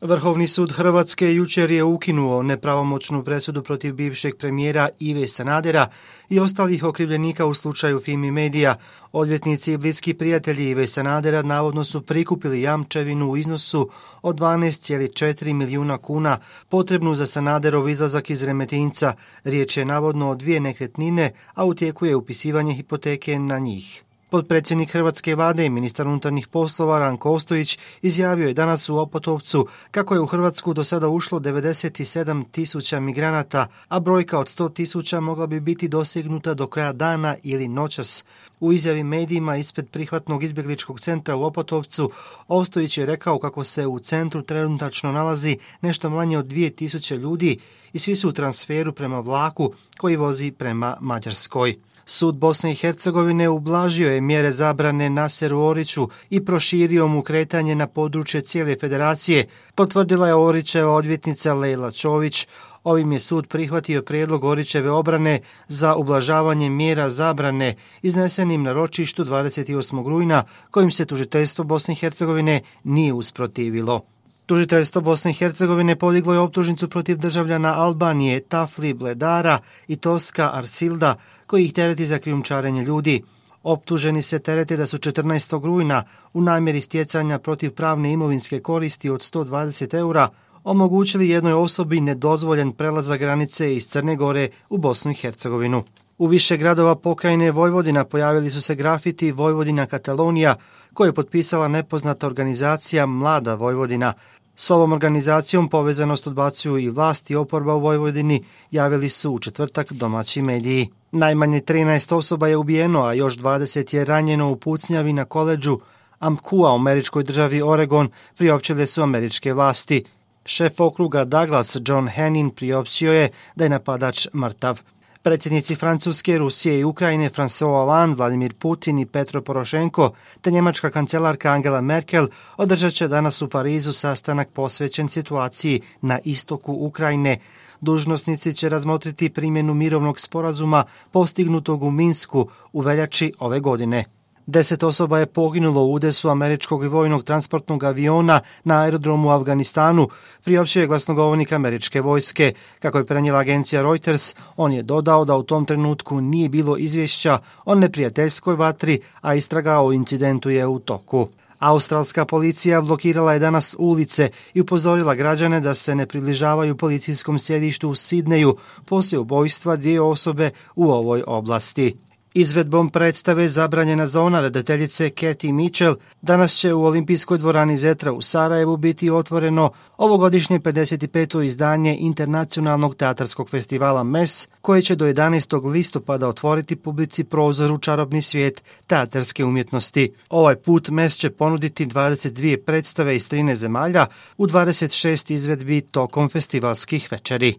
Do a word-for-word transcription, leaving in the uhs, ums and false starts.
Vrhovni sud Hrvatske jučer je ukinuo nepravomoćnu presudu protiv bivšeg premijera Ive Sanadera i ostalih okrivljenika u slučaju Fimi Medija. Odvjetnici i bliski prijatelji Ive Sanadera navodno su prikupili jamčevinu u iznosu od dvanaest zarez četiri milijuna kuna potrebnu za Sanaderov izlazak iz Remetinca. Riječ je navodno o dvije nekretnine, a u tijeku je upisivanje hipoteke na njih. Potpredsjednik Hrvatske vlade i ministar unutarnjih poslova Ranko Ostojić izjavio je danas u Opotovcu kako je u Hrvatsku do sada ušlo devedeset sedam tisuća migranata, a brojka od sto tisuća mogla bi biti dosegnuta do kraja dana ili noćas. U izjavi medijima ispred prihvatnog izbjegličkog centra u Opotovcu, Ostojić je rekao kako se u centru trenutačno nalazi nešto manje od dvije tisuće ljudi i svi su u transferu prema vlaku koji vozi prema Mađarskoj. Sud Bosne i Hercegovine ublažio je mjere zabrane Naseru Oriću i proširio mu kretanje na područje cijele federacije, potvrdila je Orićeva odvjetnica Lejla Čović. Ovim je sud prihvatio prijedlog Orićeve obrane za ublažavanje mjera zabrane iznesenim na ročištu dvadeset osmog rujna, kojim se tužiteljstvo Bosne i Hercegovine nije usprotivilo. Tužiteljstvo Bosne i Hercegovine podiglo je optužnicu protiv državljana Albanije Tafli Bledara i Toska Arsilda, koji ih tereti za krijumčarenje ljudi. Optuženi se terete da su četrnaestog rujna u namjeri stjecanja protiv pravne imovinske koristi od sto dvadeset eura omogućili jednoj osobi nedozvoljen prelazak granice iz Crne Gore u Bosnu i Hercegovinu. U više gradova pokrajine Vojvodina pojavili su se grafiti Vojvodina Katalonija, koju je potpisala nepoznata organizacija Mlada Vojvodina. S ovom organizacijom povezanost odbacuju i vlast i oporba u Vojvodini, javili su u četvrtak domaći mediji. Najmanje trinaest osoba je ubijeno, a još dvadeset je ranjeno u pucnjavi na koledžu Amkua u američkoj državi Oregon, priopćile su američke vlasti. Šef okruga Douglas John Hannin priopćio je da je napadač mrtav. Predsjednici Francuske, Rusije i Ukrajine François Hollande, Vladimir Putin i Petro Porošenko te njemačka kancelarka Angela Merkel održat će danas u Parizu sastanak posvećen situaciji na istoku Ukrajine. Dužnosnici će razmotriti primjenu mirovnog sporazuma postignutog u Minsku u veljači ove godine. Deset osoba je poginulo u udesu američkog vojnog transportnog aviona na aerodromu u Afganistanu, priopćio je glasnogovornik američke vojske. Kako je prenijela agencija Reuters, on je dodao da u tom trenutku nije bilo izvješća o neprijateljskoj vatri, a istraga o incidentu je u toku. Australska policija blokirala je danas ulice i upozorila građane da se ne približavaju policijskom sjedištu u Sidneju poslije ubojstva dvije osobe u ovoj oblasti. Izvedbom predstave Zabranjena zona redateljice Cathy Mitchell danas će u Olimpijskoj dvorani Zetra u Sarajevu biti otvoreno ovogodišnje pedeset peto izdanje Internacionalnog teatarskog festivala M E S, koje će do jedanaestog listopada otvoriti publici prozor u čarobni svijet teatarske umjetnosti. Ovaj put M E S će ponuditi dvadeset dvije predstave iz trinaest zemalja u dvadeset šest izvedbi tokom festivalskih večeri.